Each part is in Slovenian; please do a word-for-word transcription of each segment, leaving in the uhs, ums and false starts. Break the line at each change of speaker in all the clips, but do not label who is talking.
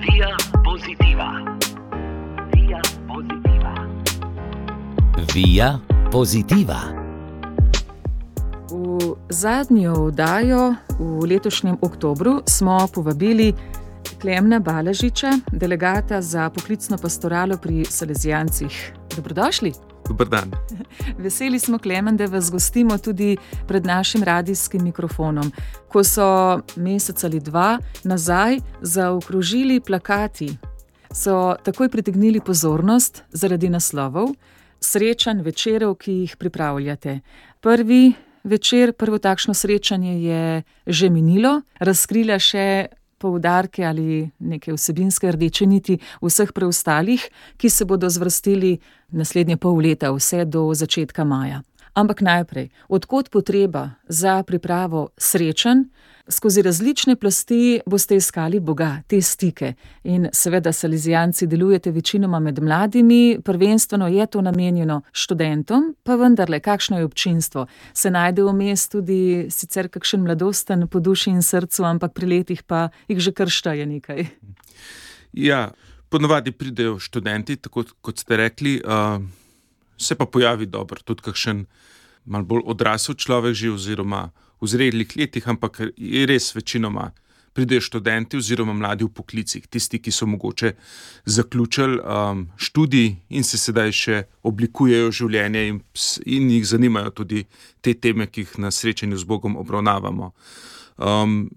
Via Positiva. Via Positiva.
Via Positiva.
V zadnjo oddajo v letošnjem oktobru smo povabili Klemna Balažiča, delegata za poklicno pastoralo pri Salezijancih. Dobrodošli.
Dober dan.
Veseli smo, Klemen, da vas gostimo tudi pred našim radijskim mikrofonom. Ko so mesec ali dva nazaj zaokrožili plakati, so takoj pritegnili pozornost zaradi naslovov srečanj, večerov, ki jih pripravljate. Prvi večer, prvo takšno srečanje je že minilo, razkrila še poudarke ali neke vsebinske rdeče niti vseh preostalih, ki se bodo zvrstili naslednje pol leta, vse do začetka maja. Ampak najprej, od kod potreba za pripravo srečanj? Skozi različne plasti boste iskali Boga, te stike. In seveda Salezijanci delujete večinoma med mladimi, prvenstveno je to namenjeno študentom, pa vendarle, kakšno je občinstvo? Se najde vmes tudi sicer kakšen mladosten po duši in srcu, ampak pri letih pa jih že kar šteje nekaj.
Ja, ponovadi pridejo študenti, tako kot ste rekli, uh, se pa pojavi dobro, tudi kakšen malo bolj odrasel človek že oziroma v zrelih letih, ampak je res večinoma pridejo študenti oziroma mladi v poklicih, tisti, ki so mogoče zaključili um, študij in se sedaj še oblikujejo življenje in, in jih zanimajo tudi te teme, ki jih na srečanju z Bogom obravnavamo. Um,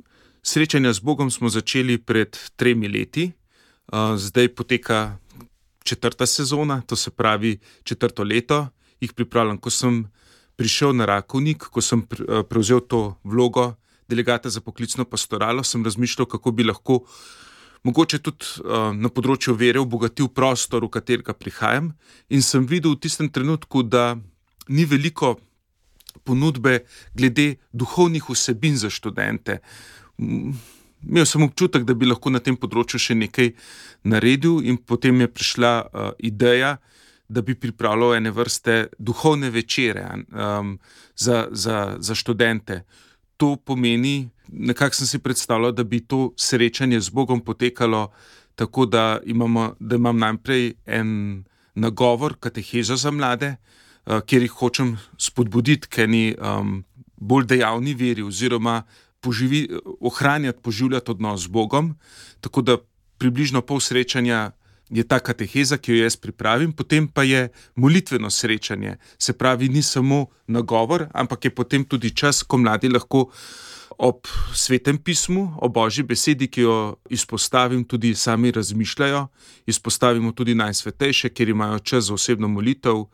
srečanja z Bogom smo začeli pred tremi leti, uh, zdaj poteka četrta sezona, to se pravi četrto leto, jih pripravljam. Ko sem prišel na Rakovnik, ko sem prevzel to vlogo delegata za poklicno pastoralo, sem razmišljal, kako bi lahko mogoče tudi uh, na področju vere obogatil prostor, v katerega prihajam, in sem videl v tistem trenutku, da ni veliko ponudbe glede duhovnih vsebin za študente. Imel sem občutek, da bi lahko na tem področju še nekaj naredil, in potem je prišla uh, ideja, da bi pripravljal ene vrste duhovne večere um, za, za, za študente. To pomeni, nekako sem si predstavljal, da bi to srečanje z Bogom potekalo tako, da, imamo, da imam najprej en nagovor, katehezo za mlade, uh, kjer jih hočem spodbuditi k eni um, bolj dejavni veri oziroma poživi, ohranjati, poživljati odnos z Bogom, tako da približno pol srečanja je ta kateheza, ki jo jaz pripravim, potem pa je molitveno srečanje. Se pravi, ni samo nagovor, ampak je potem tudi čas, ko mladi lahko ob svetem pismu, o Božji besedi, ki jo izpostavim, tudi sami razmišljajo, izpostavimo tudi najsvetejše, kjer imajo čas za osebno molitev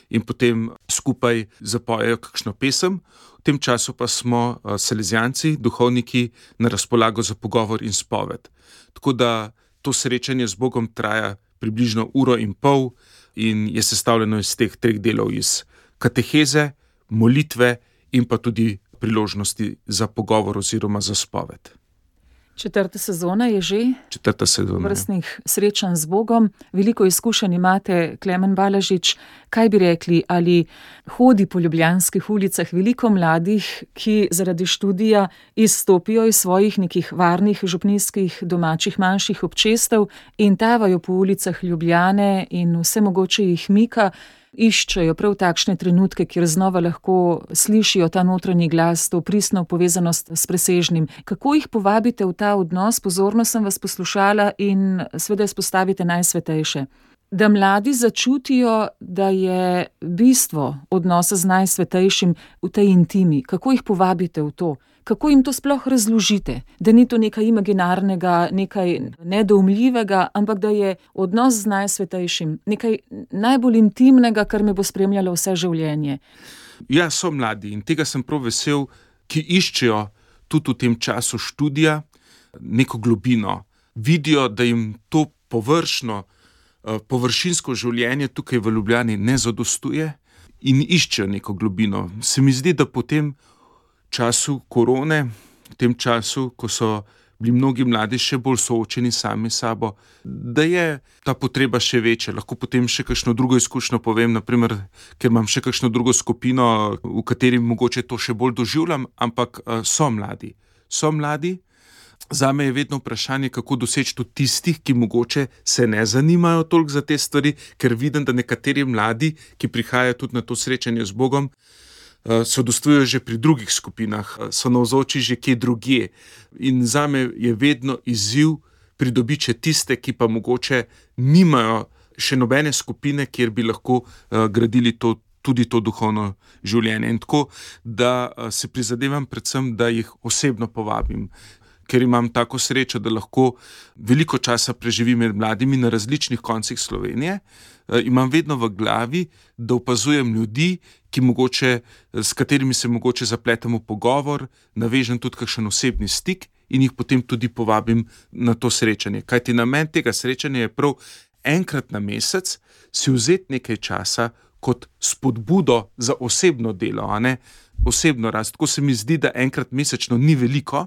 in potem skupaj zapojejo kakšno pesem. V tem času pa smo Salezijanci, duhovniki, na razpolago za pogovor in spoved. Tako da to srečanje z Bogom traja približno uro in pol in je sestavljeno iz teh treh delov, iz kateheze, molitve in pa tudi priložnosti za pogovor oziroma za spoved.
Četrta sezona je že
Četrta sezona,
vrstnih srečanj z Bogom. Veliko izkušenj imate, Klemen Balažič. Kaj bi rekli, ali hodi po ljubljanskih ulicah veliko mladih, ki zaradi študija izstopijo iz svojih nekih varnih župnijskih domačih manjših občestev in tavajo po ulicah Ljubljane in vse mogoče jih mika, iščejo prav takšne trenutke, kjer znova lahko slišijo ta notranji glas, to pristno povezanost s presežnim. Kako jih povabite v ta odnos? Pozorno sem vas poslušala in seveda izpostavite najsvetejše. Da mladi začutijo, da je bistvo odnosa z najsvetejšim v tej intimi. Kako jih povabite v to? Kako jim to sploh razložite? Da ni to nekaj imaginarnega, nekaj nedoumljivega, ampak da je odnos z najsvetejšim nekaj najbolj intimnega, kar me bo spremljalo vse življenje.
Ja, so mladi in tega sem prav vesel, ki iščejo tudi v tem času študija neko globino. Vidijo, da jim to površno, površinsko življenje tukaj v Ljubljani ne zadostuje in iščejo neko globino. Se mi zdi, da potem času korone, v tem času, ko so bili mnogi mladi še bolj soočeni sami sabo, da je ta potreba še večja. Lahko potem še kakšno drugo izkušnjo povem, naprimer, ker imam še kakšno drugo skupino, v kateri mogoče to še bolj doživljam, ampak uh, so mladi. So mladi, Zame je vedno vprašanje, kako doseči tudi tistih, ki mogoče se ne zanimajo toliko za te stvari, ker vidim, da nekateri mladi, ki prihajajo tudi na to srečanje z Bogom, so dostujejo že pri drugih skupinah, so navzoči že kje drugje. In zame je vedno izziv pridobiti tiste, ki pa mogoče nimajo še nobene skupine, kjer bi lahko gradili to, tudi to duhovno življenje. In tako, da se prizadevam predvsem, da jih osebno povabim, ker imam tako srečo, da lahko veliko časa preživim med mladimi na različnih koncih Slovenije. Imam vedno v glavi, da opazujem ljudi, ki mogoče, s katerimi se mogoče zapletemo pogovor, navežem tudi kakšen osebni stik in jih potem tudi povabim na to srečanje. Kajti namen tega srečanja je prav enkrat na mesec si vzeti nekaj časa kot spodbudo za osebno delo, a ne osebno rast. Tako se mi zdi, da enkrat mesečno ni veliko,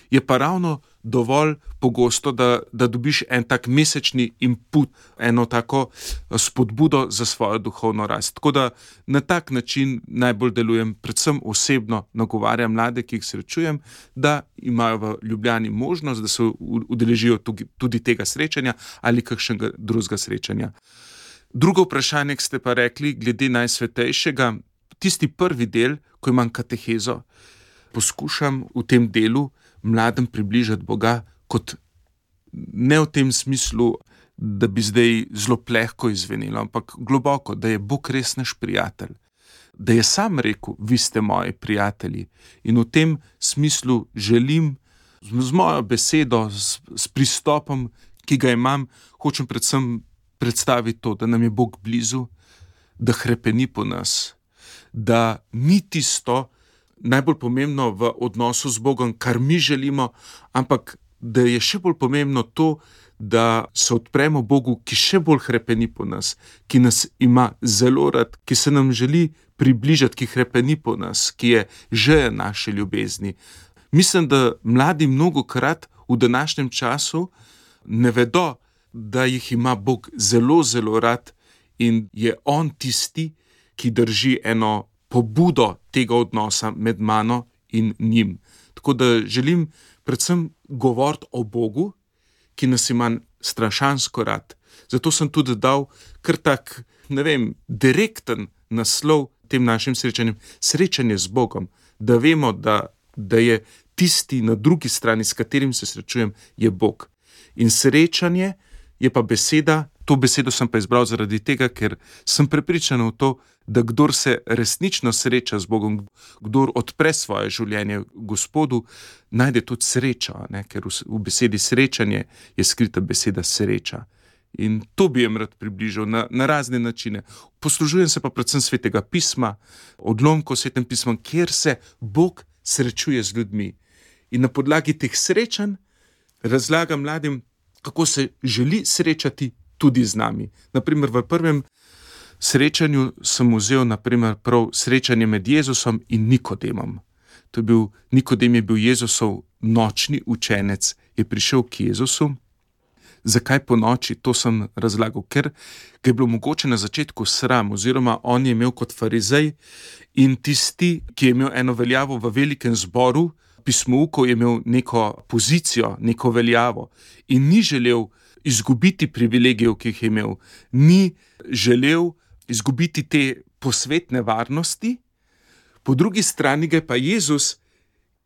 je pa ravno dovolj pogosto, da, da dobiš en tak mesečni input, eno tako spodbudo za svojo duhovno rast. Tako da na tak način najbolj delujem, predvsem osebno nagovarjam mlade, ki jih srečujem, da imajo v Ljubljani možnost, da se udeležijo tudi tega srečanja ali kakšnega drugega srečanja. Drugo vprašanje, ki ste pa rekli, glede Najsvetejšega, tisti prvi del, ko imam katehezo, poskušam v tem delu mladim približati Boga kot ne v tem smislu, da bi zdaj zelo plehko izvenelo, ampak globoko, da je Bog res naš prijatelj. Da je sam rekel, vi ste moji prijatelji. In v tem smislu želim z mojo besedo, s, s pristopom, ki ga imam, hočem predvsem predstaviti to, da nam je Bog blizu, da hrepeni po nas, da ni tisto najbolj pomembno v odnosu z Bogom, kar mi želimo, ampak da je še bolj pomembno to, da se odpremo Bogu, ki še bolj hrepeni po nas, ki nas ima zelo rad, ki se nam želi približati, ki hrepeni po nas, ki je želja naše ljubezni. Mislim, da mladi mnogokrat v današnjem času ne vedo, da jih ima Bog zelo, zelo rad in je on tisti, ki drži eno pobudo tega odnosa med mano in njim. Tako da želim predvsem govoriti o Bogu, ki nas ima strašansko rad. Zato sem tudi dal kar tak, ne vem, direkten naslov tem našim srečanjem, srečanje z Bogom, da vemo, da, da je tisti na drugi strani, s katerim se srečujem, je Bog. In srečanje je pa beseda, to besedo sem pa izbral zaradi tega, ker sem prepričan v to, da kdor se resnično sreča z Bogom, kdor odpre svoje življenje Gospodu, najde tudi srečo, ne? Ker v, v besedi srečanje je skrita beseda sreča. In to bi jim rad približal na, na razne načine. Poslužujem se pa predvsem Svetega pisma, odlomkov Svetem pisma, kjer se Bog srečuje z ljudmi. In na podlagi teh srečanj razlagam mladim, kako se želi srečati tudi z nami. Naprimer, v prvem srečanju sem vzel naprimer prav srečanje med Jezusom in Nikodemom. To je bil, Nikodem je bil Jezusov nočni učenec, je prišel k Jezusu. Zakaj po noči? To sem razlagal, ker ga je bilo mogoče na začetku sram, oziroma on je imel kot farizej in tisti, ki je imel eno veljavo v velikem zboru, pismoukov, je imel neko pozicijo, neko veljavo in ni želel izgubiti privilegijev, ki jih je imel. Ni želel izgubiti te posvetne varnosti, po drugi strani ga je pa Jezus,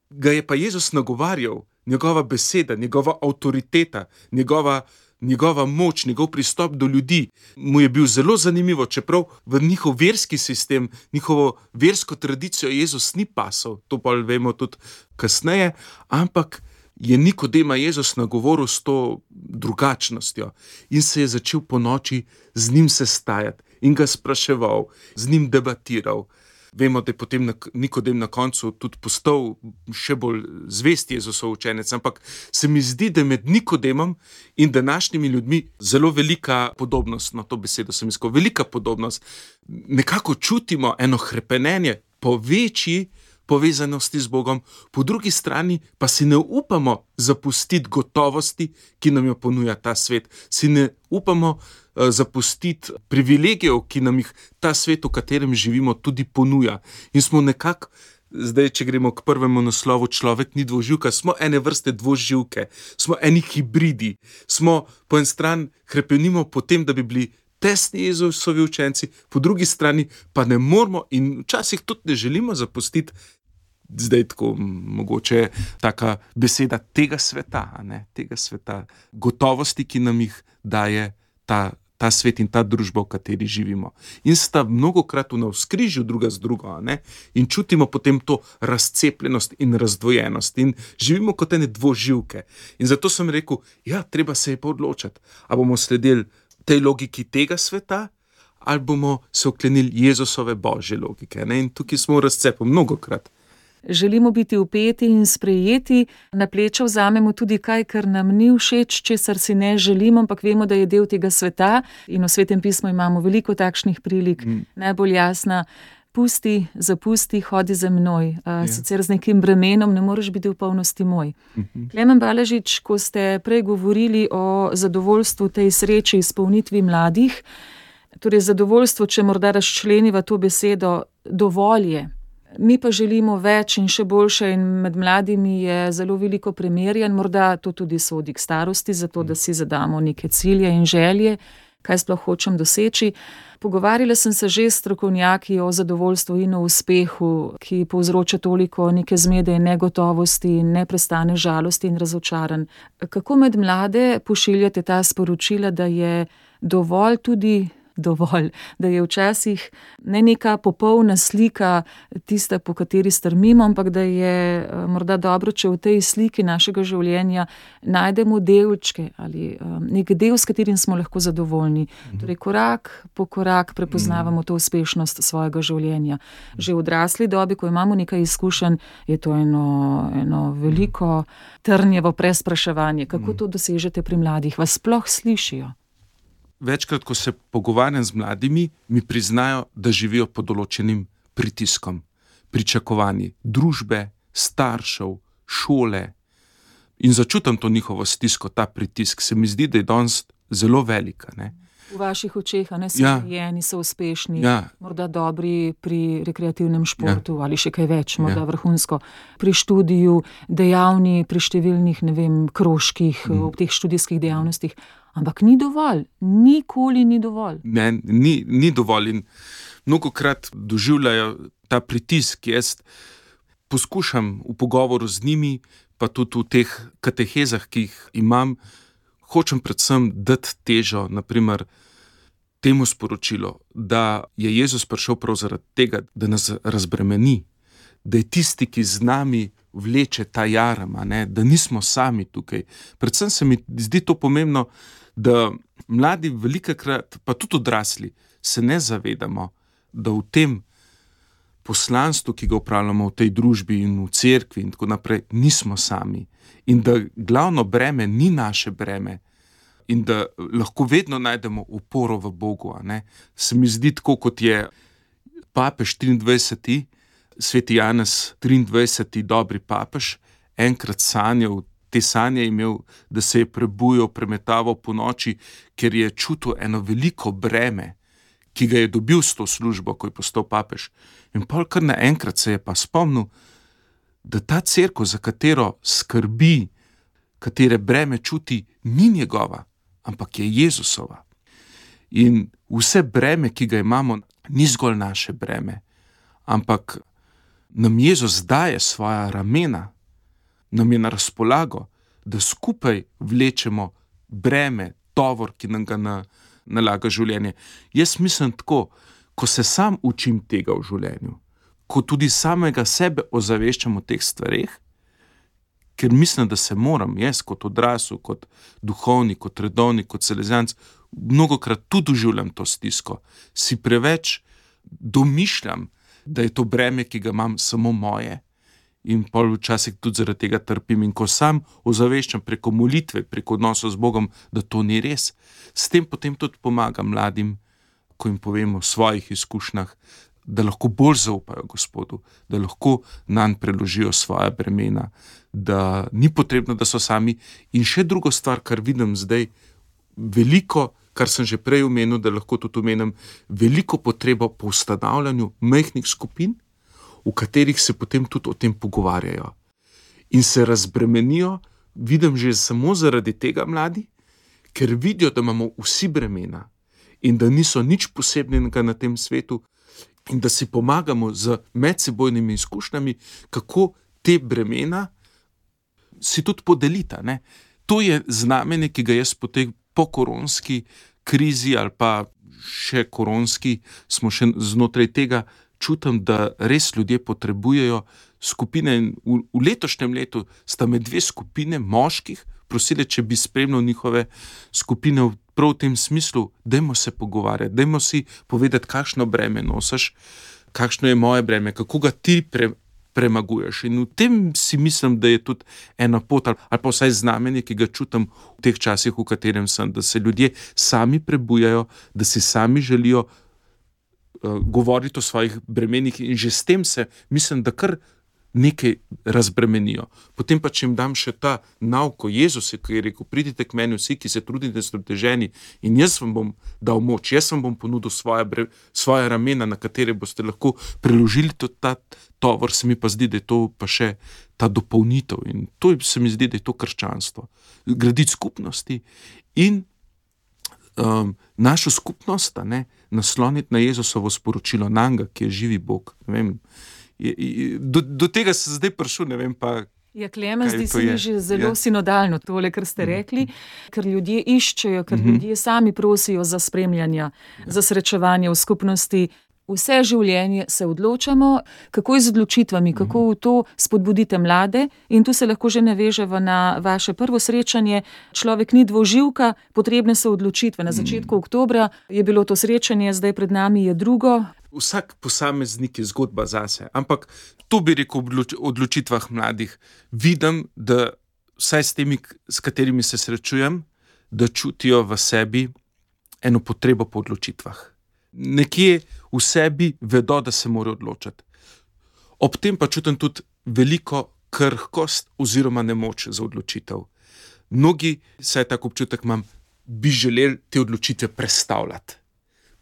ga je pa Jezus nagovarjal, njegova beseda, njegova avtoriteta, njegova, njegova moč, njegov pristop do ljudi. Mu je bil zelo zanimivo, čeprav v njihov verski sistem, njihovo versko tradicijo Jezus ni pasal, to pa vemo tudi kasneje, ampak je Nikodema Jezus nagovoril s to drugačnostjo in se je začel po noči z njim sestajati in ga spraševal, z njim debatiral. Vemo, da je potem Nikodem na koncu tudi postal še bolj zvest Jezusov učenec, ampak se mi zdi, da je med Nikodemom in današnjimi ljudmi zelo velika podobnost, no to besedo sem iskal, velika podobnost. Nekako čutimo eno hrepenenje po večji povezanosti z Bogom, po drugi strani pa si ne upamo zapustiti gotovosti, ki nam jo ponuja ta svet. Si ne upamo uh, zapustiti privilegijev, ki nam jih ta svet, v katerem živimo, tudi ponuja. In smo nekako Zdaj, če gremo k prvemu naslovu, človek ni dvoživka, smo ene vrste dvoživke, smo eni hibridi, smo po en stran hrepenimo po tem, da bi bili tesni Jezusovi učenci, po drugi strani pa ne moramo in včasih tudi ne želimo zapustiti, zdaj tako mogoče taka beseda tega sveta, a ne, tega sveta, gotovosti, ki nam jih daje ta ta svet in ta družba, v kateri živimo. In sta mnogokrat v navzkrižju druga z drugo, ne? In čutimo potem to razcepljenost in razdvojenost in živimo kot ene dvoživke. In zato sem rekel, ja, treba se je pa odločiti, a bomo sledili tej logiki tega sveta, ali bomo se oklenili Jezusove božje logike, ne? In tukaj smo v razcepu mnogokrat.
Želimo biti vpeti in sprejeti, na pleča vzamemo tudi kaj, kar nam ni všeč, česar si ne želimo, ampak vemo, da je del tega sveta in v Svetem pismu imamo veliko takšnih prilik. Mm. Najbolj jasna, pusti, zapusti, hodi za menoj. Ja. Sicer z nekim bremenom ne moreš biti v polnosti moj. Mm-hmm. Klemen Balažič, ko ste prej govorili o zadovoljstvu tej sreči, izpolnitvi mladih, torej zadovoljstvo, če morda razčleniva to besedo, dovolj je. Mi pa želimo več in še boljše in med mladimi je zelo veliko premerjanj, morda to tudi sodi k starosti, zato da si zadamo neke cilje in želje, kaj sploh hočem doseči. Pogovarjala sem se že s strokovnjaki o zadovoljstvu in o uspehu, ki povzroča toliko neke zmede in negotovosti in neprestane žalosti in razočaranj. Kako med mlade pošiljate ta sporočila, da je dovolj tudi dovolj, da je včasih ne neka popolna slika tista, po kateri strmimo, ampak da je morda dobro, če v tej sliki našega življenja najdemo delčke ali nek del, s katerim smo lahko zadovoljni. Torej, korak po korak prepoznavamo to uspešnost svojega življenja. Že v odrasli dobi, ko imamo nekaj izkušenj, je to eno, eno veliko trnjevo prespraševanje. Kako to dosežete pri mladih? Vas sploh slišijo?
Večkrat, ko se pogovarjam z mladimi, mi priznajo, da živijo pod določenim pritiskom, pričakovanji družbe, staršev, šole. In začutim to njihovo stisko, ta pritisk. Se mi zdi, da je danes zelo velika. Ne?
V vaših očeh, a ne, so rejeni, ja. So uspešni, ja. Morda dobri pri rekreativnem športu, ja. Ali še kaj več, morda ja. Vrhunsko. Pri študiju, dejavni pri številnih, ne vem, krožkih, mm. v teh študijskih dejavnostih. Ampak ni dovolj, nikoli ni dovolj.
Ne, ni, ni dovolj in mnogokrat doživljajo ta pritisk. Jaz poskušam v pogovoru z njimi, pa tudi v teh katehezah, ki jih imam, hočem predvsem dati težo, naprimer, temu sporočilu, da je Jezus prišel prav zaradi tega, da nas razbremeni, da je tisti, ki z nami vleče ta jaram, ne, da nismo sami tukaj. Predvsem se mi zdi to pomembno, da mladi velikokrat, pa tudi odrasli, se ne zavedamo, da v tem poslanstvu, ki ga upravljamo v tej družbi in v cerkvi in tako naprej, nismo sami. In da glavno breme ni naše breme in da lahko vedno najdemo oporo v Bogu. Ne. Se mi zdi tako, kot je papež triindvajseti, sveti Janez triindvajseti, dobri papež, enkrat sanjal, te sanje imel, da se je prebujal, premetaval po noči, ker je čutil eno veliko breme, ki ga je dobil s to službo, ko je postal papež. In pol kar naenkrat se je pa spomnil, da ta cerkev, za katero skrbi, katere breme čuti, ni njegova, ampak je Jezusova. In vse breme, ki ga imamo, ni zgolj naše breme, ampak nam Jezus daje svoja ramena, nam je na razpolago, da skupaj vlečemo breme, tovor, ki nam ga na, nalaga življenje. Jaz mislim tako, ko se sam učim tega v življenju, ko tudi samega sebe ozaveščam o teh stvareh, ker mislim, da se moram jaz kot odrasel, kot duhovnik, kot redovnik, kot salezijanec, mnogokrat tudi doživljam to stisko. Si preveč domišljam, da je to breme, ki ga imam, samo moje. In pol včasih tudi zaradi tega trpim. In ko sam ozaveščam preko molitve, preko odnosa z Bogom, da to ni res, s tem potem tudi pomagam mladim, ko jim povem o svojih izkušnjah, da lahko bolj zaupajo Gospodu, da lahko nanj preložijo svoja bremena, da ni potrebno, da so sami. In še drugo stvar, kar vidim zdaj, veliko, kar sem že prej omenil, da lahko tudi omenim, veliko potrebo po ustanavljanju majhnih skupin, v katerih se potem tudi o tem pogovarjajo. In se razbremenijo, vidim že samo zaradi tega mladi, ker vidijo, da imamo vsi bremena in da niso nič posebnega na tem svetu in da si pomagamo z medsebojnimi izkušnjami, kako te bremena si tudi podelita. Ne? To je znamenje, ki ga jaz po tej pokoronski krizi ali pa še koronski, smo še znotraj tega, čutim, da res ljudje potrebujejo skupine. V, v letošnjem letu sta me dve skupine moških prosili, če bi spremljal njihove skupine prav v tem smislu, dajmo se pogovarjati, dajmo si povedati, kakšno breme nosiš, kakšno je moje breme, kako ga ti pre, premaguješ. In v tem si mislim, da je tudi ena pot ali, ali pa vsaj znamenje, ki ga čutim v teh časih, v katerem sem, da se ljudje sami prebujajo, da si sami želijo uh, govoriti o svojih bremenih in že s tem se mislim, da kar nekaj razbremenijo. Potem pa, če jim dam še ta nauk o Jezusu, ki je rekel, pridite k meni vsi, ki se trudite, ste oteženi in jaz vam bom dal moč, jaz vam bom ponudil svoje, bre, svoje ramena, na katere boste lahko preložili tudi ta tovor, se mi pa zdi, da je to pa še ta dopolnitev in to se mi zdi, da je to krščanstvo. Graditi skupnosti in um, našo skupnost, ne, nasloniti na Jezusovo sporočilo, nanga, ki je živi Bog, ne vem. Do, do tega se zdaj prišel, ne vem pa.
Ja, Klemen, zdi se mi že zelo ja. sinodalno tole, kar ste rekli, ker ljudje iščejo, ker mm-hmm. ljudje sami prosijo za spremljanja, ja. za srečevanje v skupnosti. Vse življenje se odločamo, kako je z odločitvami, kako v to spodbudite mlade in tu se lahko že naveževa na vaše prvo srečanje. Človek ni dvoživka, potrebne so odločitve. Na začetku oktobra je bilo to srečanje, zdaj pred nami je drugo.
Vsak posameznik je zgodba zase, ampak to bi rekel v odločitvah mladih. Vidim, da vsaj s temi, s katerimi se srečujem, da čutijo v sebi eno potrebo po odločitvah. Nekje v sebi vedo, da se morajo odločiti. Ob tem pa čutim tudi veliko krhkost oziroma nemoč za odločitev. Mnogi, saj tak občutek imam, bi želeli te odločitve prestavljati.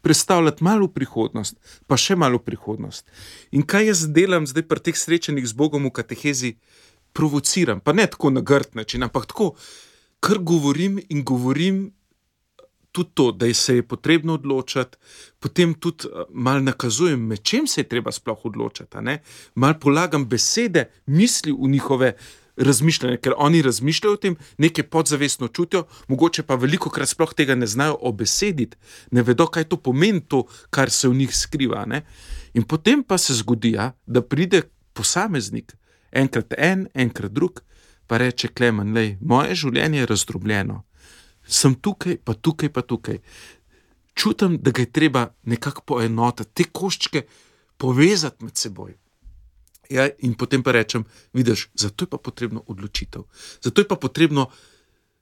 Prestavljati malo v prihodnost, pa še malo v prihodnost. In kaj jaz delam zdaj pri teh srečanjih z Bogom v katehezi? Provociram, pa ne tako na grd način, ampak tako, kar govorim in govorim tudi to, da se je potrebno odločati, potem tudi malo nakazujem, med čem se je treba sploh odločati. Malo polagam besede, misli v njihove razmišljanje, ker oni razmišljajo o tem, nekaj podzavestno čutijo, mogoče pa velikokrat sploh tega ne znajo obesediti, ne vedo, kaj to pomeni, to, kar se v njih skriva. Ne? In potem pa se zgodi, ja, da pride posameznik, enkrat en, enkrat drug, pa reče, Klemen, lej, moje življenje je razdrobljeno. Sem tukaj, pa tukaj, pa tukaj. Čutim, da ga je treba nekako poenotiti, te koščke povezati med seboj. Ja, in potem pa rečem, vidiš, zato je pa potrebno odločitev. Zato je pa potrebno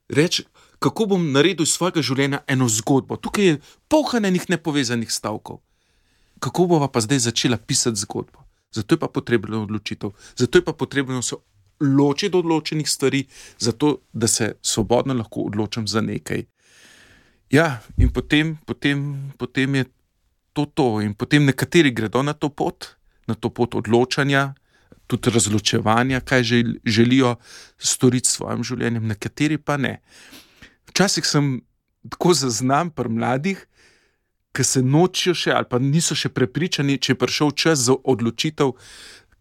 reči, kako bom naredil iz svojega življenja eno zgodbo. Tukaj je polno enih nepovezanih stavkov. Kako bova pa zdaj začela pisati zgodbo? Zato je pa potrebno odločitev. Zato je pa potrebno se ločiti od odločenih stvari, zato da se svobodno lahko odločim za nekaj. Ja, in potem, potem, potem je to to. In potem nekateri gredo na to pot, na to pot odločanja, tudi razločevanja, kaj želijo storiti s svojim življenjem, nekateri pa ne. Včasih sem tako zaznam pri mladih, ki se nočijo še ali pa niso še prepričani, če je prišel čas za odločitev,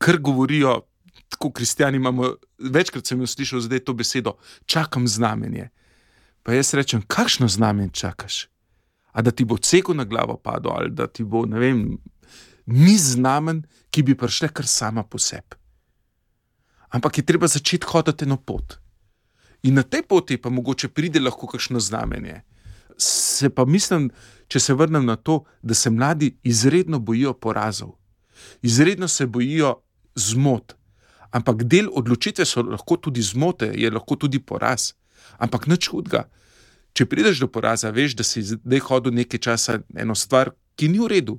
kar govorijo, tako kristjani imamo, večkrat sem jo slišal zdaj to besedo, čakam znamenje. Pa jaz rečem, kakšno znamenje čakaš? A da ti bo cego na glavo padlo, ali da ti bo, ne vem, ni znamen, ki bi prišle kar sama po sebi. Ampak je treba začeti hoditi eno pot. In na tej poti pa mogoče pride lahko kakšno znamenje. Se pa mislim, če se vrnem na to, da se mladi izredno bojijo porazov. Izredno se bojijo zmot. Ampak del odločitve so lahko tudi zmote, je lahko tudi poraz. Ampak nič hudega. Če prideš do poraza, veš, da si zdaj hodil nekaj časa eno stvar, ki ni v redu.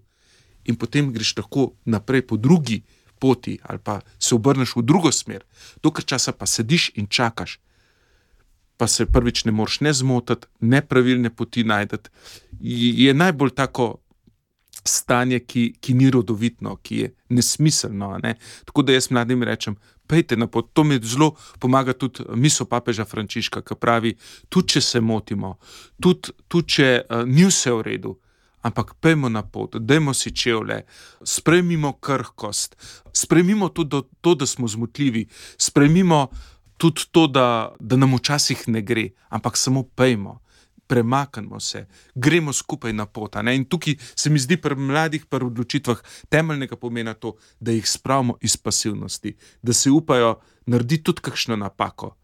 In potem greš lahko naprej po drugi poti ali pa se obrneš v drugo smer. Dokaj časa pa sediš in čakaš. Pa se prvič ne moreš ne zmotiti, nepravilne poti najdeti. Je najbolj tako stanje, ki, ki ni rodovitno, ki je nesmiselno. Ne? Tako da jaz mladim rečem, pejte na pot. To mi zelo pomaga tudi misel papeža Frančiška, ki pravi, tudi če se motimo, tudi, tudi če uh, ni vse v redu, ampak pejmo na pot, dajmo si čevlje, sprejmimo krhkost, sprejmimo tudi to, da smo zmotljivi, sprejmimo tudi to, da, da nam včasih ne gre, ampak samo pejmo, premaknemo se, gremo skupaj na pot. Ne? In tukaj se mi zdi pri mladih, pri odločitvah temeljnega pomena to, da jih spravimo iz pasivnosti, da se upajo narediti tudi kakšno napako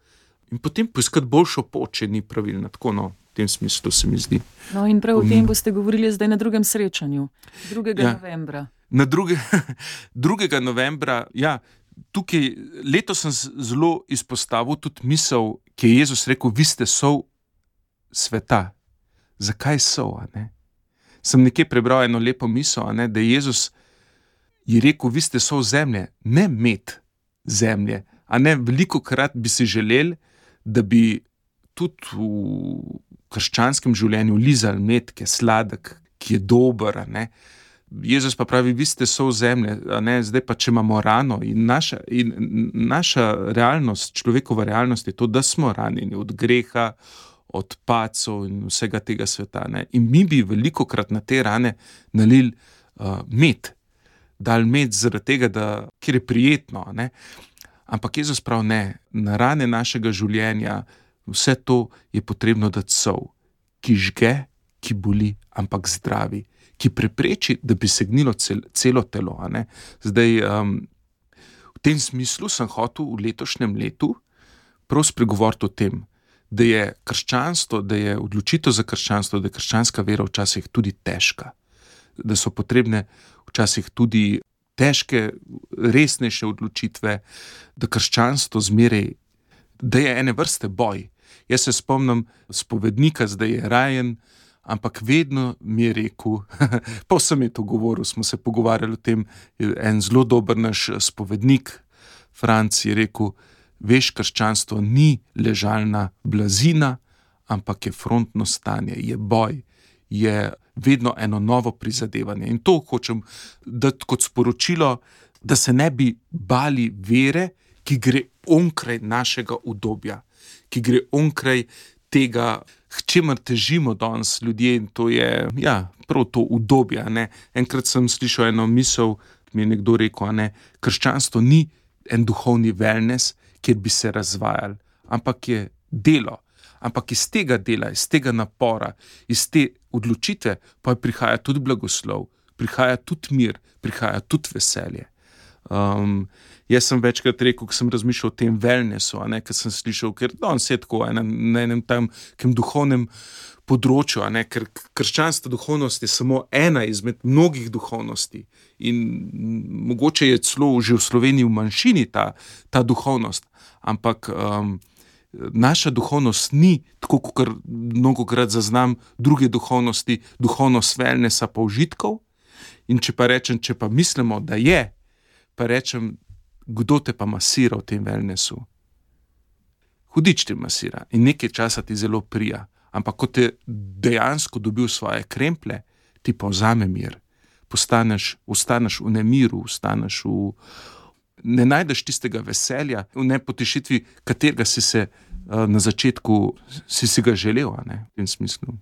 in potem poiskati boljšo pot, če ni pravilna. Tako, no, v tem smislu se mi zdi.
No in prav o tem boste govorili zdaj na drugem srečanju, drugega
Ja.
novembra.
Na druge, drugega novembra, ja, tukaj letos sem z- zelo izpostavil tudi misel, ki je Jezus rekel, vi ste sol sveta. Zakaj sol, a ne? Sem nekje prebral eno lepo misel, a ne, da je Jezus je rekel, vi ste sol zemlje, ne med zemlje. A ne, velikokrat bi si želeli, da bi tudi v krščanskem življenju lizali med, ki je sladek, ki je dober, a ne. Jezus pa pravi, vi ste sol zemlje, a ne, zdaj pa če imamo rano in naša, in naša realnost, človekova realnost je to, da smo ranjeni od greha, od pacov in vsega tega sveta, ne. In mi bi velikokrat na te rane nalili uh, med, dali med zaradi tega, da, ker je prijetno, a ne. Ampak Jezus pravi, ne, na rane našega življenja, vse to je potrebno dati sol, ki žge, ki boli, ampak zdravi, ki prepreči, da bi segnilo cel, celo telo. A ne? Zdaj, um, v tem smislu sem hotel v letošnjem letu prav spregovoriti o tem, da je krščanstvo, da je odločitev za krščanstvo, da je krščanska vera včasih tudi težka, da so potrebne včasih tudi težke, resnejše odločitve, da krščanstvo zmeraj, da je ene vrste boj. Jaz se spomnim spovednika, zdaj je rajen, ampak vedno mi je rekel, pa vsem je to govoril, smo se pogovarjali o tem, en zelo dober naš spovednik, Franc, je rekel, veš, krščanstvo ni ležalna blazina, ampak je frontno stanje, je boj, je vedno eno novo prizadevanje. In to hočem dati kot sporočilo, da se ne bi bali vere, ki gre onkraj našega udobja, ki gre onkraj tega, k čemer težimo danes ljudje, in to je, ja, prav to udobje, a ne. Enkrat sem slišal eno misel, mi je nekdo rekel, a ne, krščanstvo ni en duhovni wellness, kjer bi se razvajali, ampak je delo. Ampak iz tega dela, iz tega napora, iz te odločitve pa prihaja tudi blagoslov, prihaja tudi mir, prihaja tudi veselje. Um, jaz sem večkrat rekel, ko sem razmišljal o tem wellnessu, a ne, ker sem slišal, ker danes je tako na, na enem tam kem duhovnem področju, a ne, ker krščanska duhovnost je samo ena izmed mnogih duhovnosti in mogoče je celo že v Sloveniji v manjšini ta, ta duhovnost, ampak um, naša duhovnost ni, tako kot mnogokrat zaznam druge duhovnosti, duhovnost wellnessa pa užitkov. In če pa rečem, če pa mislimo, da je, pa rečem, kdo te pa masira v tem wellnessu? Hudič te masira in nekaj časa ti zelo prija, ampak ko te dejansko dobil svoje kremplje, ti pa vzame mir. Postaneš, ostaneš v nemiru, ostaneš v ne najdeš tistega veselja, v nepotešitvi, katerega si se uh, na začetku si, si ga želel, a ne, v tem smislu.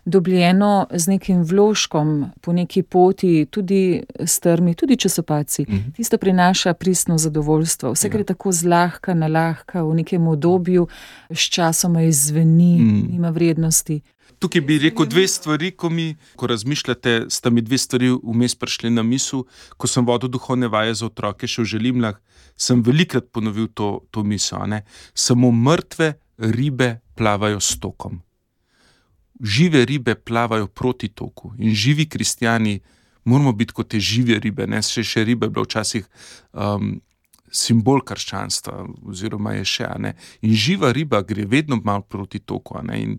Dobljeno z nekim vložkom po neki poti, tudi strmi, tudi časopaci. Mm-hmm. Tisto prinaša pristno zadovoljstvo. Vse, kar je tako zlahka, nalahka, v nekem obdobju, s časoma izzveni, mm. nima vrednosti.
Tukaj bi rekel dve stvari, ko mi, ko razmišljate, sta mi dve stvari vmes prišli na misel. Ko sem vodil duhovne vaje za otroke še v Želimljah, sem velikrat ponovil to, to misel, ne. Samo mrtve ribe plavajo s tokom. Žive ribe plavajo proti toku in živi kristjani moramo biti kot te žive ribe, ne, še, še ribe je bilo včasih um, simbol krščanstva, oziroma je še, ne. In živa riba gre vedno malo proti toku, ne, in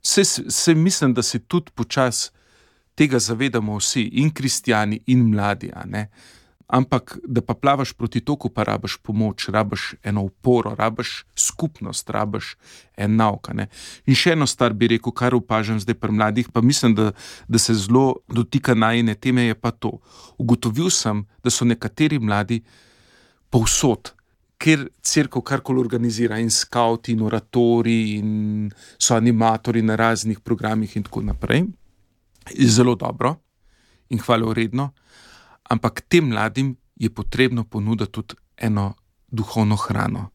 se, se mislim, da se tudi počas tega zavedamo vsi, in kristjani, in mladi, a ne. ampak da pa plavaš proti toku, pa rabiš pomoč, rabiš eno oporo, rabiš skupnost, rabiš en nauk. Ne? In še eno stvar bi rekel, kar opažam zdaj pri mladih, pa mislim, da, da se zelo dotika najine teme, je pa to. Ugotovil sem, da so nekateri mladi povsod, ker cerkev karkoli organizira, in skauti, in oratori, in so animatori na raznih programih in tako naprej. Je zelo dobro in hvalevredno, ampak tem mladim je potrebno ponuditi tudi eno duhovno hrano.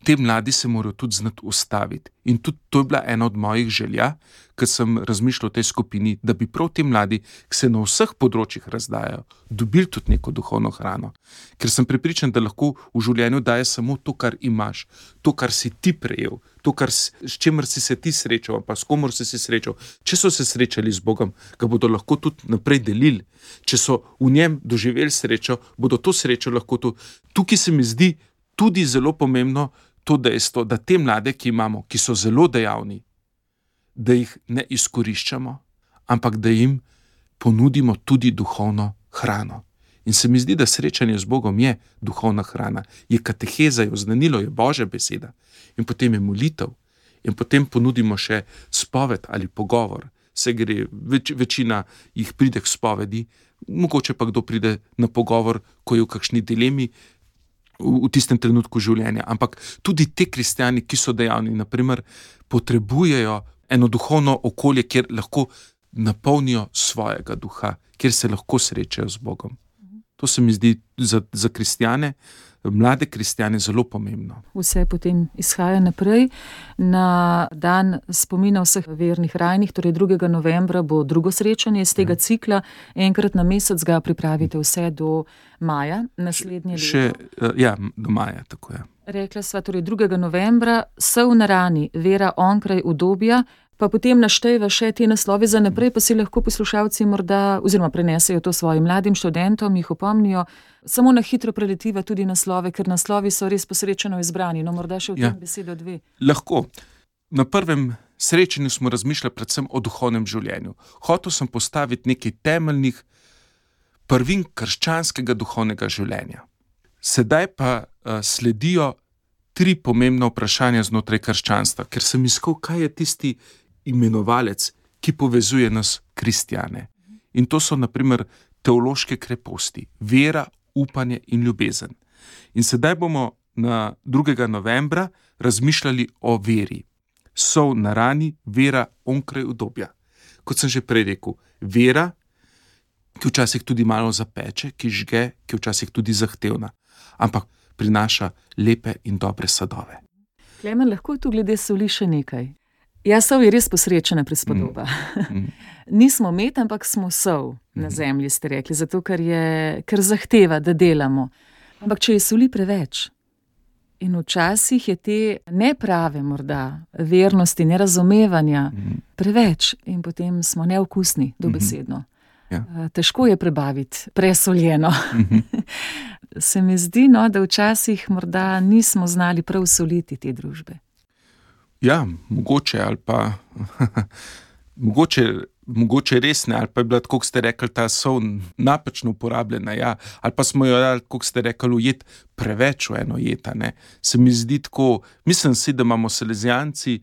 Te mladi se morajo tudi znati ustaviti. In tudi to je bila ena od mojih želja, ker sem razmišljal o tej skupini, da bi prav ti mladi, ki se na vseh področjih razdajajo, dobili tudi neko duhovno hrano. Ker sem prepričan, da lahko v življenju daje samo to, kar imaš, to, kar si ti prejel, to, kar, s čemer si se ti srečal, pa s komor si se srečal. Če so se srečali z Bogom, ga bodo lahko tudi naprej delili. Če so v njem doživeli srečo, bodo to srečo lahko tudi. Tukaj se mi zdi tudi zelo pomembno to dejstvo, da te mlade, ki imamo, ki so zelo dejavni, da jih ne izkoriščamo, ampak da jim ponudimo tudi duhovno hrano. In se mi zdi, da srečanje z Bogom je duhovna hrana, je kateheza, je oznanilo, je Božja beseda. In potem je molitev. In potem ponudimo še spoved ali pogovor. Se gre, več, večina jih pride k spovedi, mogoče pa kdo pride na pogovor, ko je v kakšni dilemi, v tistem trenutku življenja. Ampak tudi te kristjani, ki so dejavni, naprimer, potrebujejo eno duhovno okolje, kjer lahko napolnijo svojega duha, kjer se lahko srečajo z Bogom. To se mi zdi za, za kristjane, mlade kristjane zelo pomembno.
Vse potem izhaja naprej. Na dan spomina vseh vernih rajnih, torej drugega novembra, bo drugo srečanje iz tega ja. cikla. Enkrat na mesec ga pripravite vse do maja, naslednje leto.
Še, ja, do maja, tako je.
Rekla sva, torej drugega novembra, Sol na rani, vera onkraj udobja, pa potem naštejva še te naslove za naprej, pa si lahko poslušalci morda, oziroma prenesejo to svojim mladim študentom, jih opomnijo, samo na hitro preletiva tudi naslove, ker naslovi so res posrečeno izbrani, no morda še v tem ja. besedo dve.
Lahko. Na prvem srečanju smo razmišljali predvsem o duhovnem življenju. Hotel sem postaviti nekaj temeljnih prvin krščanskega duhovnega življenja. Sedaj pa uh, sledijo tri pomembna vprašanja znotraj krščanstva, ker sem iskal, kaj je tisti imenovalec, ki povezuje nas kristjane. In to so, na primer, teološke kreposti, vera, upanje in ljubezen. In sedaj bomo na drugega novembra razmišljali o veri. Sol na rani, vera onkraj udobja. Kot sem že prej rekel, vera, ki včasih tudi malo zapeče, ki žge, ki včasih tudi zahtevna, ampak prinaša lepe in dobre sadove.
Klemen, lahko tu glede soli še nekaj. Ja, sol je res posrečena prispodoba. Mm. Nismo med, ampak smo sol na zemlji, ste rekli, zato ker, je, ker zahteva, da delamo. Ampak če je soli preveč in včasih je te neprave morda vernosti, nerazumevanja mm. preveč in potem smo neokusni, dobesedno. Ja. Težko je prebaviti presoljeno. Mm-hmm. Se mi zdi, no, da včasih morda nismo znali prav soliti te družbe.
Ja, mogoče ali pa mogoče, mogoče res ne, ali pa je bila, kot ste rekli, ta sol napačno uporabljena, ja, ali pa smo jo, kot ste rekli, ujet preveč v eno jeta, ne. Se mi zdi tako, mislim si, da imamo salezijanci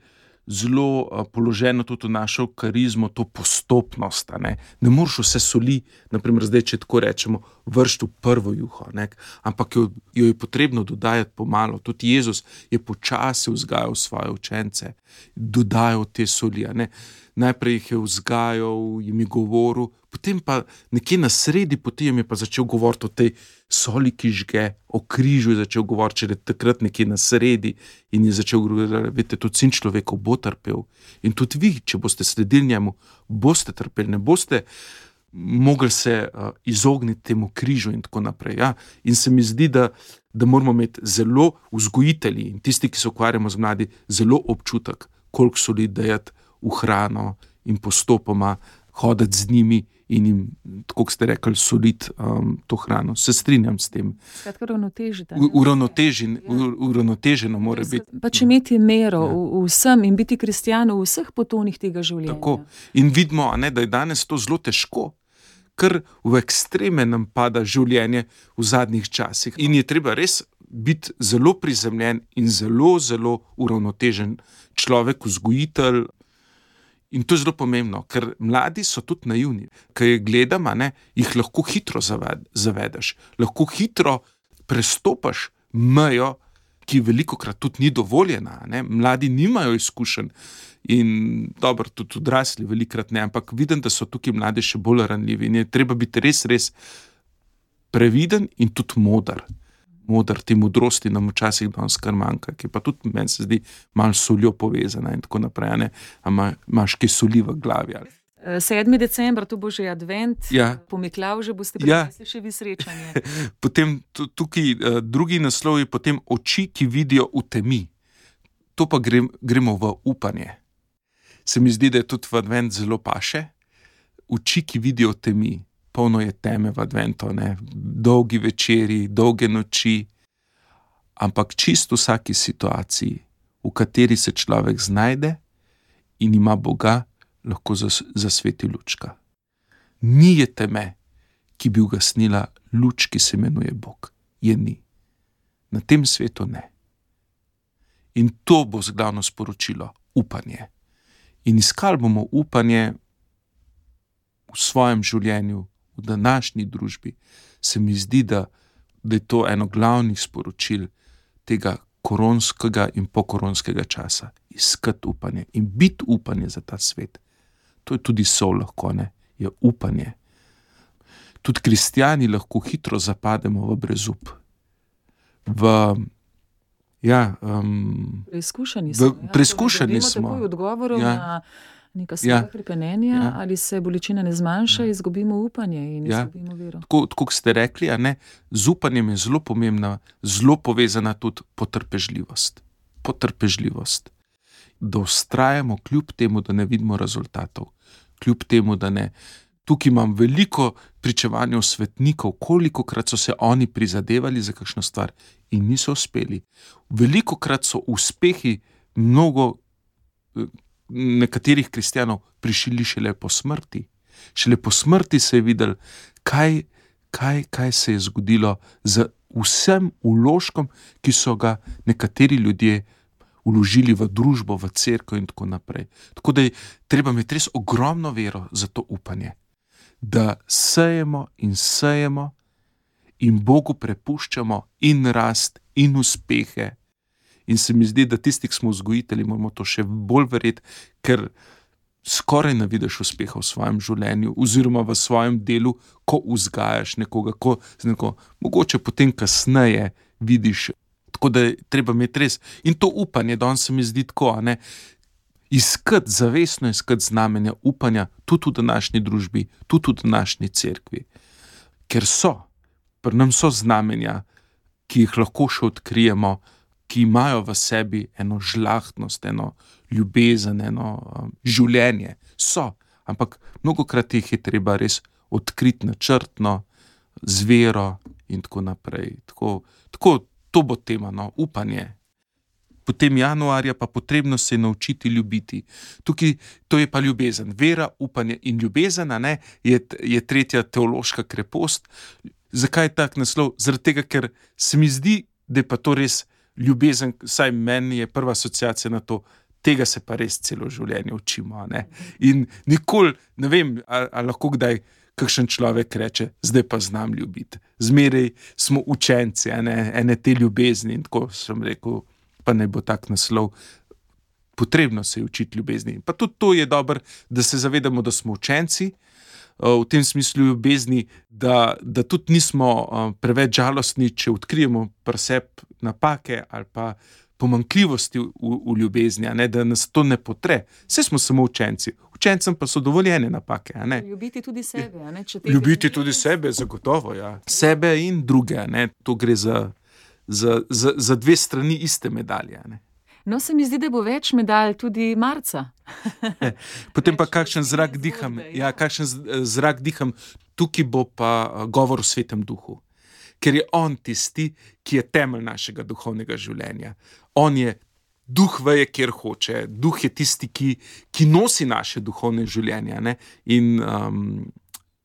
zelo uh, položeno tudi v našo karizmo, to postopnost, ne. Ne moreš vse soli, naprimer zdaj, če tako rečemo, vršiti v prvo juho, ne, ampak jo, jo je potrebno dodajati pomalo. Tudi Jezus je počasi vzgajal svoje učence, dodajal te soli, ne. Najprej jih je vzgajal, jim je govoril, potem pa nekje na sredi poti jim je pa začel govoriti o tej soli, ki žge, o križu je začel govoriti, če je takrat nekje na sredi in je začel govoriti, veste, tudi sin človekov bo trpel. In tudi vi, če boste sledili njemu, boste trpeli, ne boste mogli se uh, izogniti temu križu in tako naprej. Ja? In se mi zdi, da, da moramo imeti zelo vzgojitelji in tisti, ki se ukvarjamo z mladi, zelo občutek, koliko soli dajati v hrano in postopoma hoditi z njimi in jim, tako ste rekli, soliti um, to hrano. Se strinjam s tem.
Skratka, uravnotežite.
Uravnotežen, ja. Uravnoteženo mora biti.
Pač imeti mero ja. v, vsem in biti kristjan v vseh potonih tega življenja.
Tako. In vidimo, a ne, da je danes to zelo težko, kar v ekstreme nam pada življenje v zadnjih časih. In je treba res biti zelo prizemljen in zelo, zelo uravnotežen človek, vzgojitelj. In to je zelo pomembno, ker mladi so tudi naivni. Kaj je gledam, a ne, jih lahko hitro zaved, zavedeš, lahko hitro prestopaš mejo, ki velikokrat tudi ni dovoljena. Ne? Mladi nimajo izkušenj in dobro, tudi odrasli velikokrat ne, ampak vidim, da so tukaj mladi še bolj ranljivi in je treba biti res, res previden in tudi modar. Modar, te modrosti nam včasih danes kar manjka, ki pa tudi meni se zdi malo soljo povezana in tako naprej, ne? A ima, imaš kaj soli v glavi. Ali?
sedmi december, to bo že advent,
ja.
Po Miklavžu boste
ja.
prinesli še vi srečanje.
Potem tukaj uh, drugi naslov je potem oči, ki vidijo v temi. To pa grem, gremo v upanje. Se mi zdi, da je tudi v advent zelo paše. Oči, ki vidijo v temi. Polno je teme v adventu, ne? Dolgi večeri, dolge noči, ampak čisto v vsaki situaciji, v kateri se človek znajde in ima Boga, lahko zas, zasveti lučka. Ni je teme, ki bi ugasnila luč, ki se imenuje Bog. Je ni. Na tem svetu ne. In to bo glavno sporočilo, upanje. In iskali bomo upanje v svojem življenju, v današnji družbi. Se mi zdi, da, da je to eno glavnih sporočil tega koronskega in pokoronskega časa. Iskati upanje in biti upanje za ta svet. To je tudi sol lahko, ne? Je upanje. Tudi kristjani lahko hitro zapademo v brezup. V, ja, um,
preizkušeni smo.
V, preizkušeni
ja,
smo.
Takoj odgovorov ja. na neka svoja ja. pripenenja, ja. ali se bolečina ne zmanjša, ja. izgubimo upanje in ja. izgubimo vero.
Tako, tako ste rekli, a ne, z upanjem je zelo pomembna, zelo povezana tudi potrpežljivost. Potrpežljivost. Da vztrajamo kljub temu, da ne vidimo rezultatov. Kljub temu, da ne. Tukaj imam veliko pričevanja svetnikov, kolikokrat so se oni prizadevali za kakšno stvar in niso uspeli. Velikokrat so uspehi mnogo nekaterih kristjanov prišli šele po smrti. Šele po smrti se je videl, kaj, kaj, kaj se je zgodilo z vsem vložkom, ki so ga nekateri ljudje vložili v družbo, v cerkev in tako naprej. Tako da je treba imeti res ogromno vero za to upanje, da sejemo in sejemo in Bogu prepuščamo in rast in uspehe. In se mi zdi, da tisti, ki smo vzgojitelji, moramo to še bolj verjeti, ker skoraj ne vidiš uspeha v svojem življenju oziroma v svojem delu, ko vzgajaš nekoga, ko neko, mogoče potem kasneje vidiš. Tako da je treba imeti res. In to upanje, danes se mi zdi tako, a ne, iskati, zavestno iskati znamenja upanja, tudi v današnji družbi, tudi v današnji cerkvi. Ker so, pri nam so znamenja, ki jih lahko še odkrijemo, ki imajo v sebi eno žlahtnost, eno ljubezen, eno um, življenje. So, ampak mnogokrat jih je treba res odkriti načrtno, z vero in tako naprej. Tako, tako to bo tema, no, upanje. Potem januarja pa potrebno se je naučiti ljubiti. Tukaj to je pa ljubezen. Vera, upanje in ljubezen, a ne, je, je tretja teološka krepost. Zakaj je tak naslov? Zaradi tega, ker se mi zdi, da je pa to res ljubezen, saj meni je prva asociacija na to, tega se pa res celo življenje učimo. Ne? In nikoli, ne vem, ali, ali lahko kdaj kakšen človek reče, zdaj pa znam ljubiti. Zmeraj smo učenci, ene, ene te ljubezni in tako sem rekel, pa ne bo tak naslov. Potrebno se je učiti ljubezni. Pa tudi to je dobro, da se zavedamo, da smo učenci, v tem smislu ljubezni, da, da tudi nismo preveč žalostni, če odkrijemo pri sebi napake ali pa pomanjkljivosti v, v ljubezni, a ne, da nas to ne potre. Vse smo samo učenci. Učencem pa so dovoljene napake. A ne.
Ljubiti tudi sebe. A ne, če
Ljubiti tudi sebe, zagotovo. Ja. Sebe in druge. A ne. To gre za, za, za, za dve strani iste medalje. A ne.
No, se mi zdi, da bo več medalj tudi marca.
Potem pa kakšen zrak diham. Ja, kakšen zrak diham. Tukaj bo pa govor o Svetem Duhu. Ker je on tisti, ki je temelj našega duhovnega življenja. On je duh veje, kjer hoče. Duh je tisti, ki, ki nosi naše duhovne življenje. Ne? In um,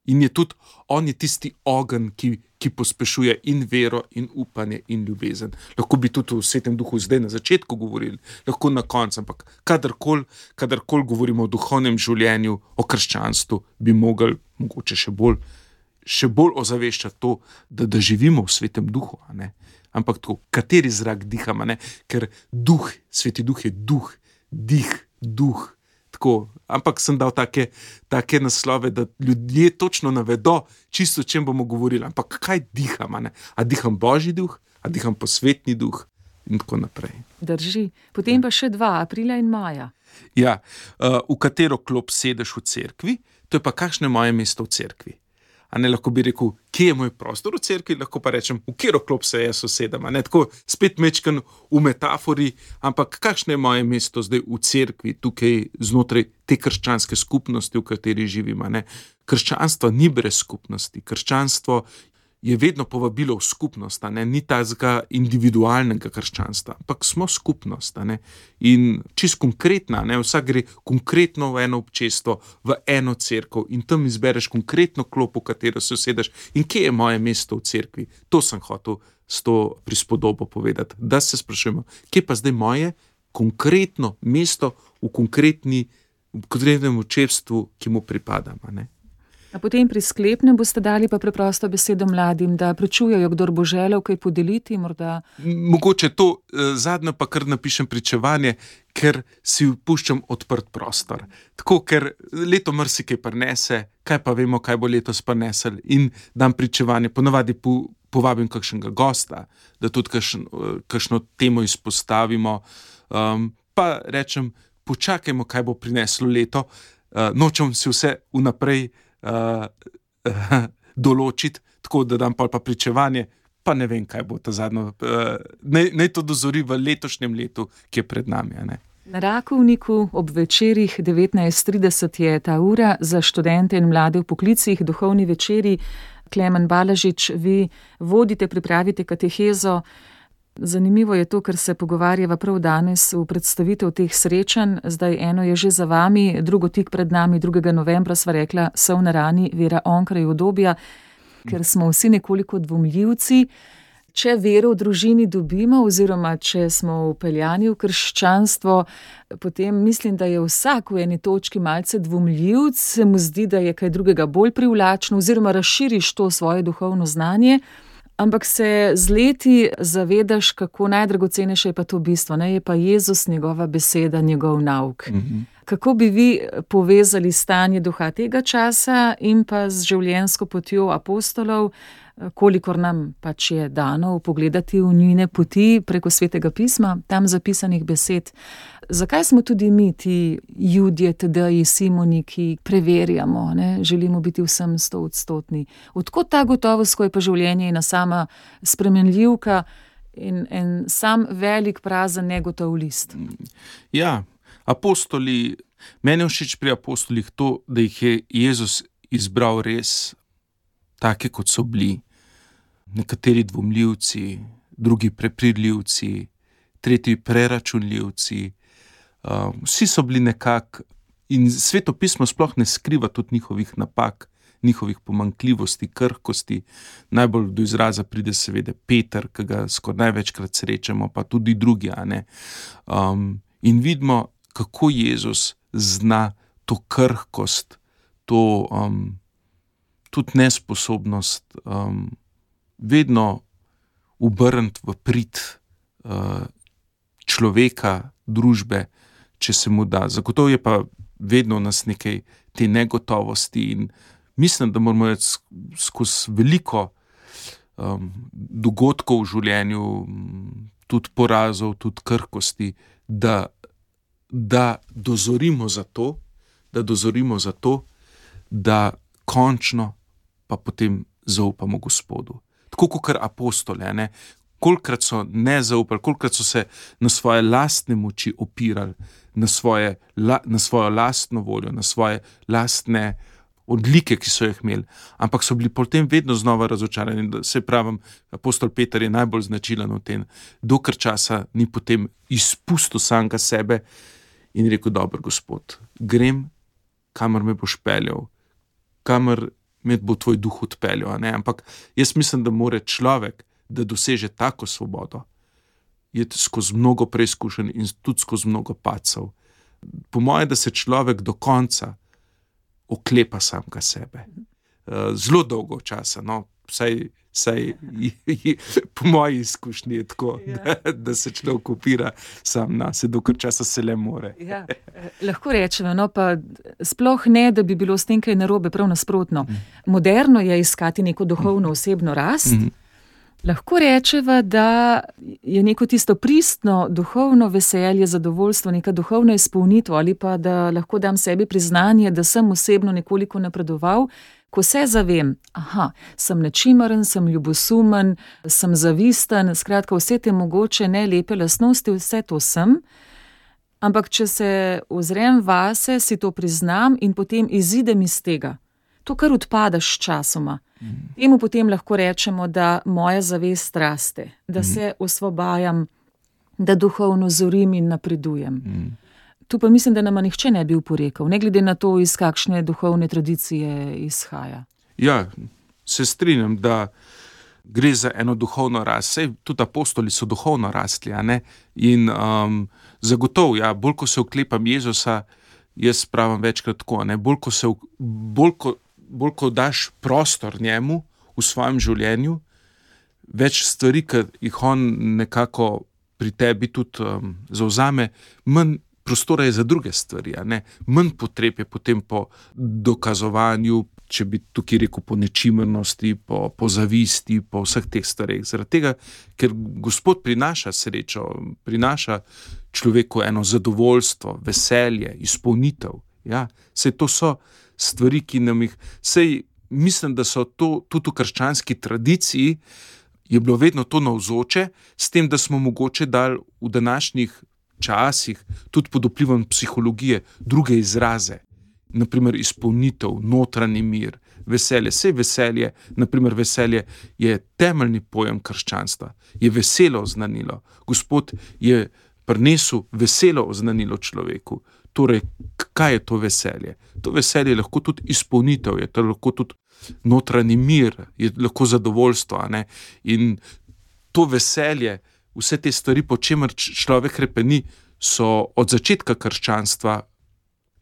In je tudi, on je tisti ogenj, ki, ki pospešuje in vero, in upanje, in ljubezen. Lahko bi tudi v Svetem duhu zdaj na začetku govorili, lahko na koncu, ampak kadarkoli, kadarkoli govorimo o duhovnem življenju, o krščanstvu, bi mogli mogoče še bolj, še bolj ozaveščati to, da, da živimo v Svetem duhu, a ne? Ampak tako, kateri zrak dihamo, ne? Ker duh, Sveti duh je duh, dih, duh. Tako, ampak sem dal take, take naslove, da ljudje točno navedo, čisto o čem bomo govorili. Ampak kaj diham? A, a diham Božji duh, a diham posvetni duh in tako naprej.
Drži. Potem pa še dva, aprila in maja.
Ja, uh, v katero klop sedeš v cerkvi, to je pa kakšno je moje mesto v cerkvi. A ne, lahko bi rekel, kje je moj prostor v cerkvi, lahko pa rečem, v katero klop se jaz usedem. A ne, tako spet mečkan v metafori, ampak kakšno je moje mesto zdaj v cerkvi, tukaj znotraj te krščanske skupnosti, v kateri živim. A ne. Krščanstvo ni brez skupnosti, krščanstvo je vedno povabilo v skupnost, a ne, ni tazga individualnega krščanstva, ampak smo skupnost, a ne, in čist konkretna, ne, vsak gre konkretno v eno občestvo, v eno cerkev in tam izbereš konkretno klop, v katero se usedeš in kje je moje mesto v cerkvi. To sem hotel s to prispodobo povedati, da se sprašujemo, kje pa zdaj moje konkretno mesto v konkretni, v konkretnem občestvu, ki mu pripadam, a ne.
A potem pri sklepnem boste dali pa preprosto besedo mladim, da prečujejo, kdor bo želel kaj podeliti, morda.
Mogoče to eh, zadnjo pa kar napišem pričevanje, ker si puščam odprt prostor. Tako, ker leto marsikaj prinese, kaj pa vemo, kaj bo letos prinesel in dam pričevanje, ponavadi po, povabim kakšnega gosta, da tudi kakšen, kakšno temo izpostavimo, um, pa rečem, počakajmo, kaj bo prineslo leto, uh, nočem si vse vnaprej Uh, uh, določiti, tako da dam pa pričevanje, pa ne vem, kaj bo ta zadnjo. Uh, naj, naj to dozori v letošnjem letu, ki je pred nami. A ne?
Na Rakovniku ob večerih devetnajst trideset je ta ura za študente in mlade v poklicih, duhovni večeri. Klemen Balažič, vi vodite, pripravite katehezo. Zanimivo je to, ker se pogovarjava prav danes v predstavitev teh srečanj. Zdaj eno je že za vami, drugo tik pred nami, drugega novembra sva rekla, Sol na rani, Vera onkraj udobja, ker smo vsi nekoliko dvomljivci. Če vero v družini dobimo oziroma če smo upeljani v krščanstvo, potem mislim, da je vsak v eni točki malce dvomljivc, se mu zdi, da je kaj drugega bolj privlačno oziroma razširiš to svoje duhovno znanje. Ampak se z leti zavedaš, kako najdragocenejše je pa to bistvo, ne? Je pa Jezus, njegova beseda, njegov nauk. Mm-hmm. Kako bi vi povezali stanje duha tega časa in pa z življenjsko potjo apostolov, kolikor nam pač je dano pogledati v njune poti preko Svetega pisma, tam zapisanih besed. Zakaj smo tudi mi ti Judje, Tadeji, Simoni, ki preverjamo, ne? Želimo biti vsem stoodstotni? Odkot ta gotovost, ko je pa življenje ena sama spremenljivka in en sam velik prazen negotov list?
Ja, apostoli, meni je všeč pri apostolih to, da jih je Jezus izbral res take, kot so bili. Nekateri dvomljivci, drugi prepridljivci, tretji preračunljivci. Uh, vsi so bili nekako, in Sveto pismo sploh ne skriva tudi njihovih napak, njihovih pomanjkljivosti, krhkosti. Najbolj do izraza pride seveda Peter, ki ga skoraj največkrat srečamo, pa tudi drugi, a ne. Um, in vidimo, kako Jezus zna to krhkost, to um, tudi nesposobnost um, vedno obrniti v prid uh, človeka, družbe, če se mu da. Zagotovo je pa vedno v nas nekaj te negotovosti in mislim, da moramo iti skozi veliko um, dogodkov v življenju, tudi porazov, tudi krhkosti, da, da dozorimo za to, da dozorimo za to, da končno pa potem zaupamo Gospodu. Tako kot apostole, ne? Kolikrat so ne zaupali, kolikrat so se na svoje lastne moči opirali, na, svoje, la, na svojo lastno voljo, na svoje lastne odlike, ki so jih imeli, ampak so bili potem vedno znova razočarani. Se pravim, apostol Peter je najbolj značilen v tem, dokler časa ni potem izpustil samega sebe in rekel, dober Gospod, grem, kamor me boš peljal, kamor med bo tvoj duh odpeljal. Ne? Ampak jaz mislim, da mora človek, da doseže tako svobodo, je skozi mnogo preizkušenj in tudi skozi mnogo padcev. Po moje, da se človek do konca oklepa samega sebe. Zelo dolgo časa, no, vsaj, vsaj po moji izkušnji je tako, ja. da, da se človek opira sam na se, dokaj časa se le more.
Ja, lahko rečemo, no, pa sploh ne, da bi bilo s tem kaj narobe, prav nasprotno. Mm. Moderno je iskati neko duhovno osebno rast. Mm. Lahko rečeva, da je neko tisto pristno duhovno veselje, zadovoljstvo, neka duhovna izpolnitev ali pa da lahko dam sebi priznanje, da sem osebno nekoliko napredoval, ko se zavem, aha, sem nečimaren, sem ljubosumen, sem zavisten, skratka vse te mogoče ne lepe lastnosti, vse to sem, ampak če se ozrem vase, si to priznam in potem izidem iz tega. To, kar odpadaš časoma. Mm. Temu potem lahko rečemo, da moja zavest raste, da mm. se osvobajam, da duhovno zorim in napredujem. Mm. Tu pa mislim, da nama nihče ne bi oporekal, ne glede na to, iz kakšne duhovne tradicije izhaja.
Ja, se strinjam, da gre za eno duhovno rast. Sej tudi apostoli so duhovno rastli, a ne? In um, zagotovo, ja, bolj ko se oklepam Jezusa, jaz pravim večkrat tako, ne? Bolj ko se, bolj ko bolj ko daš prostor njemu v svojem življenju, več stvari, ki jih on nekako pri tebi tudi um, zauzame, manj prostora je za druge stvari, a ne? Manj potreb je potem po dokazovanju, če bi tukaj rekel po nečimrnosti, po, po zavisti, po vseh teh stvareh. Zaradi tega, ker Gospod prinaša srečo, prinaša človeku eno zadovoljstvo, veselje, izpolnitev. Ja, sej to so stvari, ki nam jih, sej mislim, da so to tudi v krščanski tradiciji je bilo vedno to navzoče, s tem, da smo mogoče dali v današnjih časih tudi pod vplivom psihologije druge izraze, naprimer izpolnitev, notranji mir, veselje. Sej veselje, naprimer veselje je temeljni pojem krščanstva, je veselo oznanilo. Gospod je prinesel veselo oznanilo človeku. Torej, kaj je to veselje? To veselje je lahko tudi izpolnitev, je to lahko tudi notranji mir, je lahko zadovoljstvo, a ne? In to veselje, vse te stvari, po čemer človek hrepeni, so od začetka krščanstva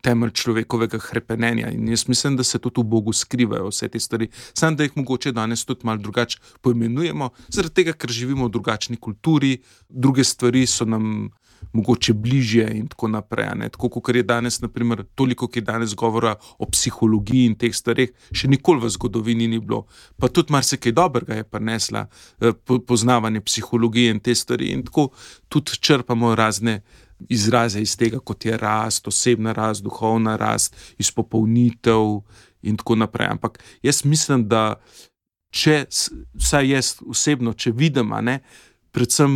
temelj človekovega hrepenenja. In jaz mislim, da se tudi v Bogu skrivajo vse te stvari. Samo da jih mogoče danes tudi malo drugače poimenujemo, zaradi tega, ker živimo v drugačni kulturi, druge stvari so nam mogoče bližje in tako naprej. Ne? Tako, kot je danes, naprimer, toliko, ki je danes govora o psihologiji in teh stvareh, še nikoli v zgodovini ni bilo. Pa tudi marsikaj dobrega je prinesla poznavanje psihologije in te stvari. In tako tudi črpamo razne izraze iz tega, kot je rast, osebna rast, duhovna rast, izpopolnitev in tako naprej. Ampak jaz mislim, da če, vsaj jaz osebno, če vidim, a ne, predvsem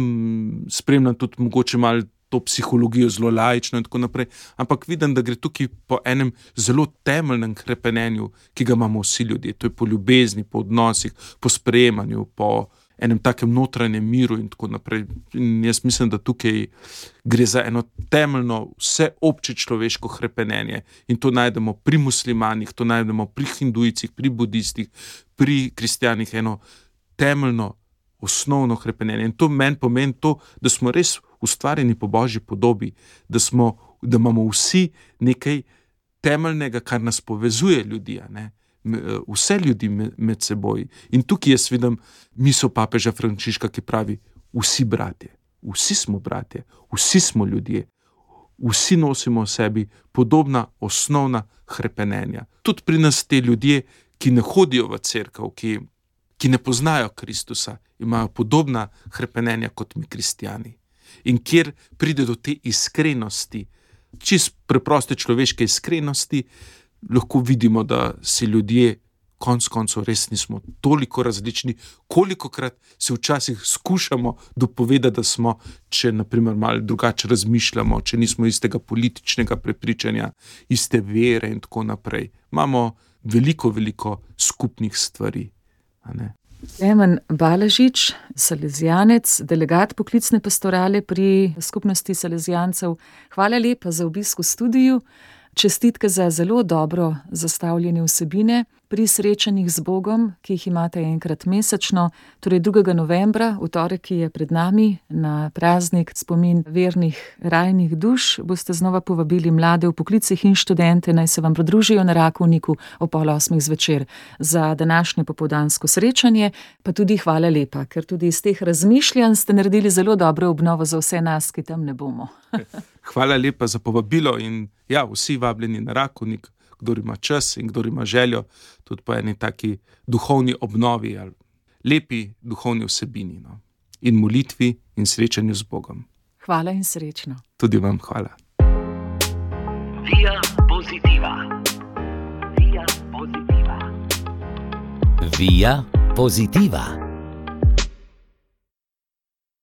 spremljam tudi mogoče malo to psihologijo zelo laično in tako naprej, ampak vidim, da gre tukaj po enem zelo temeljnem hrepenenju, ki ga imamo vsi ljudje. To je po ljubezni, po odnosih, po sprejemanju, po enem takem notranjem miru in tako naprej. In jaz mislim, da tukaj gre za eno temeljno vseobče človeško hrepenenje. In to najdemo pri muslimanih, to najdemo pri hindujcih, pri budistih, pri kristjanih, eno temeljno osnovno hrepenenje. In to meni pomeni to, da smo res ustvarjeni po Božji podobi, da, smo, da imamo vsi nekaj temeljnega, kar nas povezuje ljudi, a ne? Vse ljudi med seboj. In tukaj jaz vidim misel papeža Frančiška, ki pravi, vsi bratje, vsi smo bratje, vsi smo ljudje, vsi nosimo v sebi podobna osnovna hrepenenja. Tudi pri nas te ljudje, ki ne hodijo v cerkev, ki, ki ne poznajo Kristusa, imajo podobna hrepenenja kot mi kristjani. In kjer pride do te iskrenosti, čist preproste človeške iskrenosti, lahko vidimo, da si ljudje konec koncev res nismo toliko različni, kolikokrat se včasih skušamo dopovedati, da smo, če naprimer malo drugače razmišljamo, če nismo istega političnega prepričanja, iste vere in tako naprej. Imamo veliko, veliko skupnih stvari, a ne?
Klemen Balažič, salezijanec, delegat poklicne pastorale pri skupnosti salezijancev. Hvala lepa za obisk v studiu. Čestitke za zelo dobro zastavljene vsebine. pri srečanjih z Bogom, ki jih imate enkrat mesečno, torej drugega novembra, v torek, ki je pred nami, na praznik spomin vernih rajnih duš, boste znova povabili mlade v poklicih in študente, naj se vam pridružijo na Rakovniku ob pol osmih zvečer za današnje popoldansko srečanje, pa tudi hvala lepa, ker tudi iz teh razmišljanj ste naredili zelo dobro obnovo za vse nas, ki tam ne bomo.
Hvala lepa za povabilo in ja, vsi vabljeni na Rakovnik, kdor ima čas in kdor ima željo, tudi po eni taki duhovni obnovi ali lepi duhovni vsebini, no. In molitvi in srečanju z Bogom.
Hvala in srečno.
Tudi vam hvala.
Via Positiva. Via Positiva.
Via Positiva.